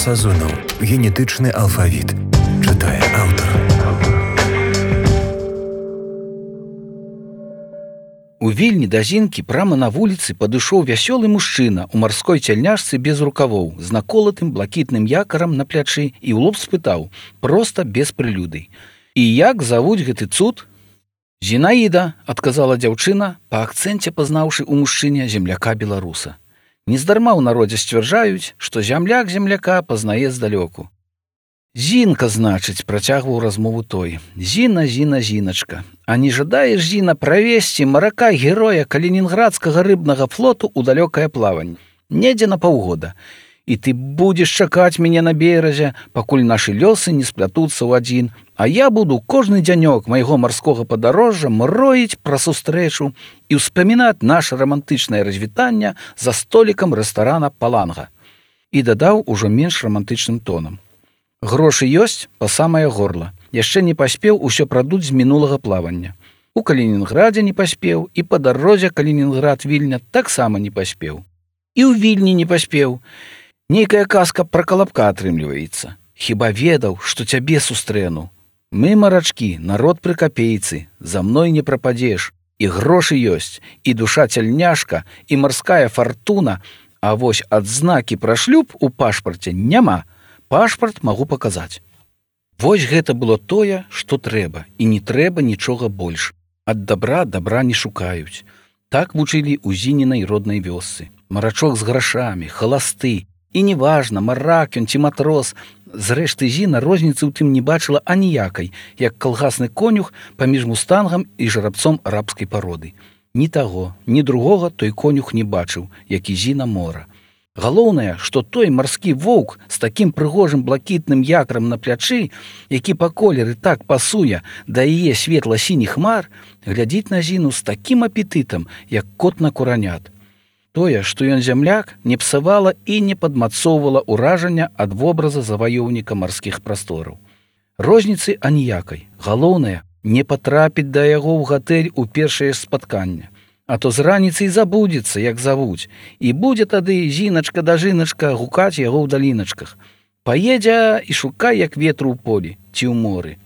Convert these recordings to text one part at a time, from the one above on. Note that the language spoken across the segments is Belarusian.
Сазонаў. Генетычны алфавіт. Чытае аўтар. У Вільні да Зінкі прама на вуліцы падышоў вясёлы мужчына ў марской цяльняшцы без рукавоў, з наколатым блакітным якарам на плячы і ў лоб спытаў, проста без прылюды: «І як завуць гэты цуд?» «Зінаіда», — адказала дзяўчына, па акцэнце пазнаўшы ў мужчыне земляка беларуса. Нездарма ў народзе сцвярджаюць, што зямляк земляка пазнае здалёку. «Зінка, значыць», — працягваў размову той. «Зіна, Зіна, Зіначка, а не жадаеш, Зіна, правесці марака-героя калінінградскага рыбнага флоту ў далёкае плаванне? Недзе на паўгода. І ты будзеш чакаць мяне на беразе, пакуль нашы лёсы не сплятуцца ў адзін, а я буду кожны дзянёк майго марскога падарожжа мроіць пра сустрэчу і ўспамінаць наша рамантычнае развітанне за столікам рэстарана «Паланга». І дадаў ужо менш рамантычным тонам. «Грошы ёсць па самае горла. Яшчэ не паспеў усё прадуць з мінулага плавання. У Калінінградзе не паспеў, і па дарозе Калінінград-Вільня таксама не паспеў. І ў Вільні не паспеў. Нейкая казка пра калапка атрымліваецца. Хіба ведаў, што цябе сустрэну? Мы, марачкі, народ пры капейцы, за мной не прападзеш. І грошы ёсць, і душа цяльняшка, і марская фартуна, а вось адзнакі пра шлюб у пашпарце няма. Пашпарт магу паказаць». Вось гэта было тое, што трэба, і не трэба нічога больш. Ад дабра не шукаюць. Так вучылі ў Зінінай роднай вёсцы. Марачок з грашамі, халасты. І неважна, марак ён ці матрос. Зрэшты, Зіна розніцы ў тым не бачыла аніякай, як калгасны конюх паміж мустангам і жарабцом арабскай пароды. Ні таго, ні другога той конюх не бачыў, як і Зіна мора. Галоўнае, што той марскі воўк з такім прыгожым блакітным якрам на плячы, які па колеры так пасуе да яе светла-сініх хмар, глядзіць на Зіну з такім апетытам, як кот на куранят. Тое, што ён зямляк, не псавала і не падмацоўвала ўражання ад вобраза заваёўніка марскіх прастораў. Розніцы аніякай. Галоўнае, не патрапіць да яго ў гатэль у першае спатканне. А то з раніцы і забудзецца, як завуць, і будзе тады Зіначка да жыначка гукаць яго ў даліначках. Паедзе і шукай, як ветру ў полі ці ў моры.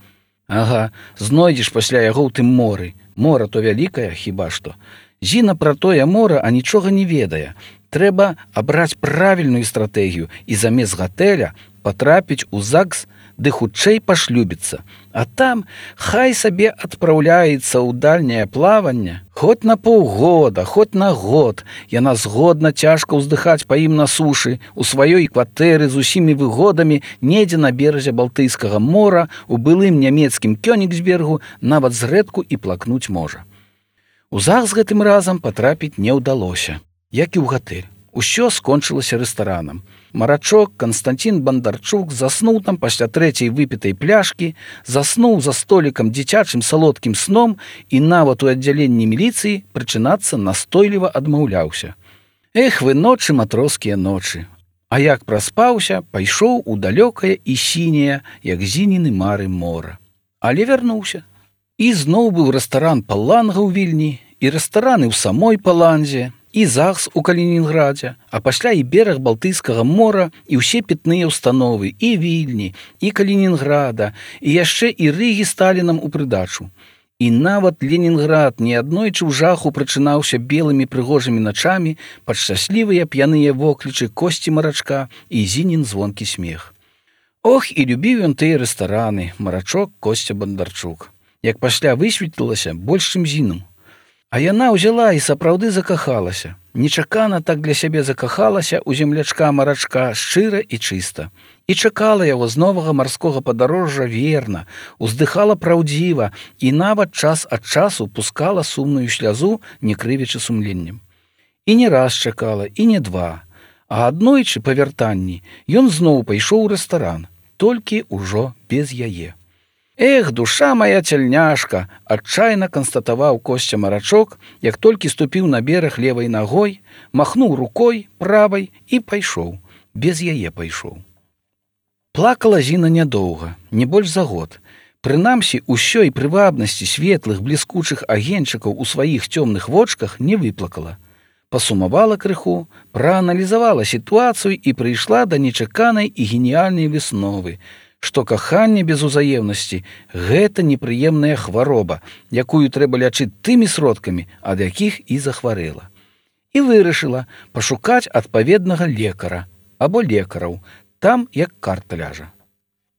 Ага, знойдзеш пасля яго ў тым моры. Мора то вялікае, хіба што. Зіна пра тое мора, а нічога не ведае. Трэба абраць правільную стратэгію і замест гатэля патрапіць у ЗАГС, ды хутчэй пашлюбіцца. А там хай сабе адпраўляецца ў дальняе плаванне. Хоць на паўгода, хоць на год. Яна згодна цяжка ўздыхаць па ім на сушы, у сваёй кватэры з усімі выгодамі, недзе на беразе Балтыйскага мора, у былым нямецкім Кёнігсбергу, нават зрэдку і плакнуць можа. У ЗАГС гэтым разам патрапіць не ўдалося, як і ў гатэль. Усё скончылася рэстаранам. Марачок Канстантин Бандарчук заснуў там пасля трэцяй выпітай пляшкі, заснуў за столікам дзіцячым салодкім сном і нават у аддзяленні міліцыі прычынацца настойліва адмаўляўся. Эх вы ночы, матроскія ночы. А як праспаўся, пайшоў у далёкае і сіняе, як Зініны мары мора. Але вярнуўся. І зноў быў рэстаран «Паланга» ў Вільні, і рэстараны ў самой Паланзе, і ЗАГС у Калінінградзе, а пасля і бераг Балтыйскага мора, і ўсе пітныя ўстановы, і Вільні, і Калінінграда, і яшчэ і Рыгі Сталінам у прыдачу. І нават Ленінград неаднойчы ў жаху прачынаўся белымі прыгожымі начамі пад шчаслівыя п'яныя воклічы Косці Марачка і Зінін звонкі смех. Ох, і любіў ён тыя рэстараны, Марачок Косця Бандарчук. Як пасля высветлілася, больш чым Зіну. А яна ўзяла і сапраўды закахалася. Нечакана так для сябе закахалася ў землячка Марачка шчыра і чыста. І чакала яго з новага марскога падарожжа верна, уздыхала праўдзіва і нават час ад часу пускала сумную слязу, не крывячы сумленнем. І не раз чакала, і не два. А аднойчы па вяртанні ён зноў пайшоў у рэстаран, толькі ўжо без яе. «Эх, душа моя цяльняшка!» – адчайна канстатаваў Косця Марачок, як толькі ступіў на бераг левай нагой, махнуў рукой правай і пайшоў. Без яе пайшоў. Плакала Зіна нядоўга, не больш за год. Прынамсі, усёй прывабнасці светлых, бліскучых агеньчыкаў у сваіх цёмных вочках не выплакала. Пасумавала крыху, прааналізавала сітуацыю і прыйшла да нечаканай і геніяльнай высновы, што каханне без узаемнасці – гэта непрыемная хвароба, якую трэба лячыць тымі сродкамі, ад якіх і захварэла. І вырашыла пашукаць адпаведнага лекара або лекараў, там як карта ляжа.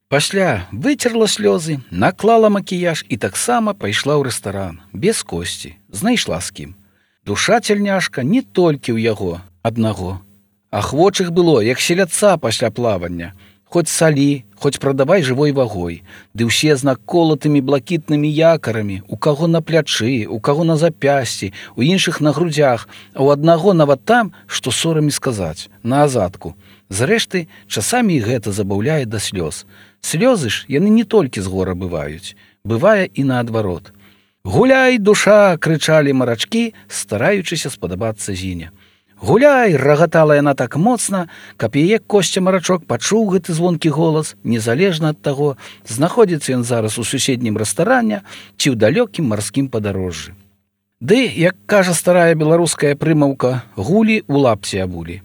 Пасля выцерла слёзы, наклала макіяж і таксама пайшла ў рэстаран, без косці, знайшла з кім. Душа цяльняшка не толькі ў яго аднаго. Ахвочых было, як селядца пасля плавання. Хоць салі, хоць прадавай жывой вагой. Ды ўсе з наколатымі блакітнымі якарамі, у каго на плячы, у каго на запясці, у іншых на грудзях, а ў аднаго нават там, што сорамі сказаць, на азадку. Зрэшты, часамі і гэта забаўляе да слёз. Слёзы ж яны не толькі з гора бываюць, бывае і наадварот. «Гуляй, душа!» – крычалі марачкі, стараючыся спадабацца Зіне. «Гуляй!» – рагатала яна так моцна, каб яе Косця-марачок пачуў гэты звонкі голас, незалежна ад таго, знаходзіцца ён зараз у суседнім рэстаране ці ў далёкім марскім падарожжы. Ды, як кажа старая беларуская прымаўка, гулі у лапці абулі.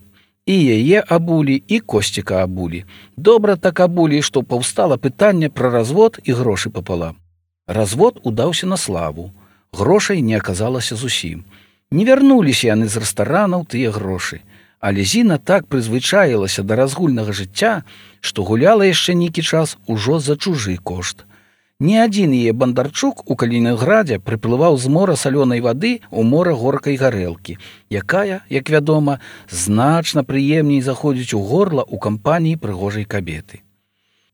І яе абулі, і Косціка абулі. Добра так абулі, што паўстала пытанне пра развод і грошы папалам. Развод удаўся на славу. Грошай не аказалася зусім. Не вярнуліся яны з рэстаранаў тыя грошы. Але Зіна так прызвычаілася да разгульнага жыцця, што гуляла яшчэ нейкі час ужо за чужы кошт. Ні адзін яе бандарчук у Калінінградзе прыплываў з мора салёнай вады ў мора горкай гарэлкі, якая, як вядома, значна прыемней заходзіць у горла ў кампаніі прыгожай кабеты.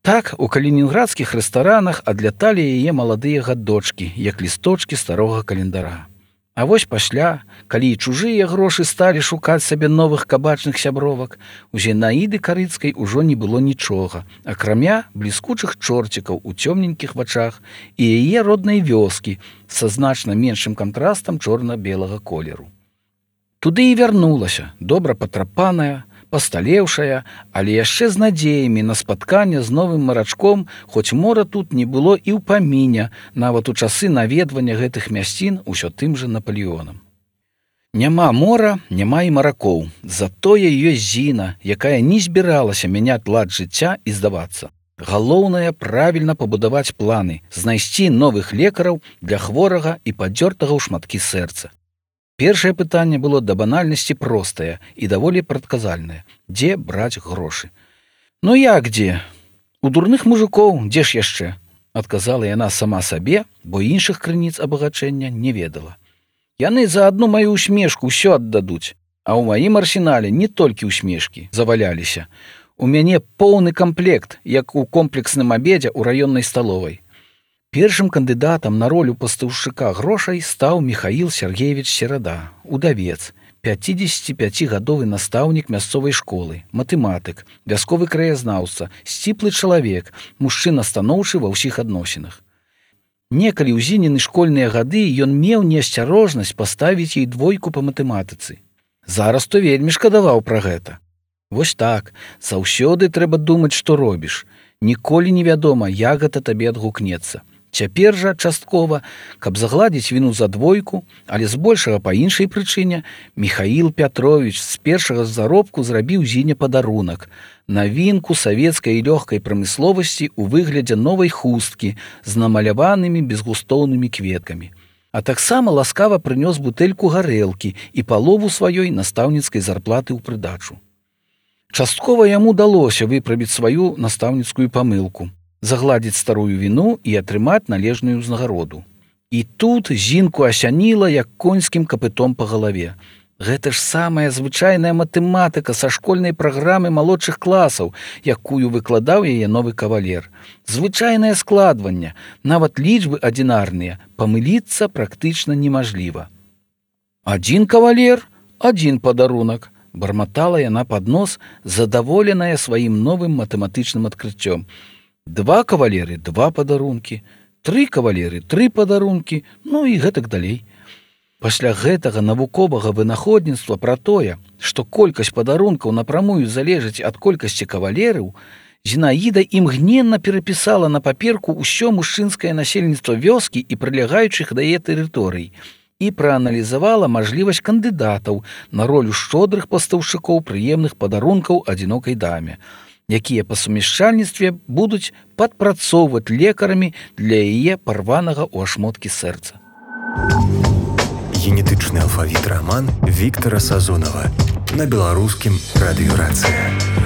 Так, у калінінградскіх рэстаранах адляталі яе маладыя гадочкі, як лісточкі старога календара. А вось пасля, калі і чужыя грошы сталі шукаць сабе новых кабачных сябровак, у Зінаіды Карыцкай ужо не было нічога, акрамя бліскучых чорцікаў у цёмненькіх вачах і яе роднай вёскі са значна меншым кантрастам чорна-белага колеру. Туды і вярнулася, добра патрапаная, пасталеўшая, але яшчэ з надзеямі на спатканне з новым марачком, хоць мора тут не было і ў паміне, нават у часы наведвання гэтых мясцін усё тым жа Напалеонам. Няма мора, няма і маракоў, затое ёсць Зіна, якая не збіралася мяняць лад жыцця і здавацца. Галоўнае правільна пабудаваць планы, знайсці новых лекараў для хворага і падзёртага ў шматкі сэрца. Першае пытанне было да банальнасці простае і даволі прадказальнае. Дзе браць грошы? Ну як дзе? У дурных мужикоў, дзе ж яшчэ? Адказала яна сама сабе, бо іншых крыніц абагачэння не ведала. Яны за адну маю усмешку ўсё аддадуць, а ў маім арсенале не толькі усмешкі заваляліся. У мяне поўны камплект, як у комплексным абедзе ў раённай сталовай. Першым кандыдатам на ролю пастаўшчыка грошай стаў Міхаіл Сергеевич Серада, удавец, 55-гадовы настаўнік мясцовай школы, матэматык, вясковы краязнаўца, сціплы чалавек, мужчына станоўчы ва ўсіх адносінах. Некалі ў Зініны школьныя гады ён меў неасцярожнасць паставіць ёй 2 па матэматыцы. Зараз то вельмі шкадаваў пра гэта. Вось так, заўсёды трэба думаць, што робіш. Ніколі невядома, як гэта табе адгукнецца. Цяпер жа часткова, каб загладзіць віну за 2, але збольшага па іншай прычыне, Міхаіл Пятровіч з першага заробку зрабіў Зіне падарунак, навінку савецкай і лёгкай прамысловасці ў выглядзе новай хусткі з намаляванымі безгустоўнымі кветкамі. А таксама ласкава прынёс бутэльку гарэлкі і палову сваёй настаўніцкай зарплаты ў прыдачу. Часткова яму далося выправіць сваю настаўніцкую памылку, загладзіць старую віну і атрымаць належную ўзнагароду. І тут Зінку асяніла, як конскім капытом па галаве. Гэта ж самая звычайная матэматыка са школьнай праграмы малодшых класаў, якую выкладаў яе новы кавалер. Звычайнае складванне, нават лічбы адзінарныя, памыліцца практычна немажліва. 1 кавалер, 1 падарунак, барматала яна пад нос, задаволеная сваім новым матэматычным адкрыццём. 2 кавалеры, 2 падарункі, 3 кавалеры, 3 падарункі, ну і гэтак далей. Пасля гэтага навуковага вынаходніцтва пра тое, што колькасць падарункаў напрамую залежыць ад колькасці кавалераў, Зінаіда імгненна перапісала на паперку ўсё мужчынскае насельніцтва вёскі і прылягаючых да яе тэрыторый. і прааналізавала мажлівасць кандыдатаў на ролю шчодрых пастаўшчыкоў прыемных падарункаў адзінокай даме, якія па сумяшчальніцтве будуць падпрацоўваць лекарамі для яе парванага ў ашмоткі сэрца. Генетычны алфавіт раман Віктара Сазонава на беларускім радыё «Рацыя».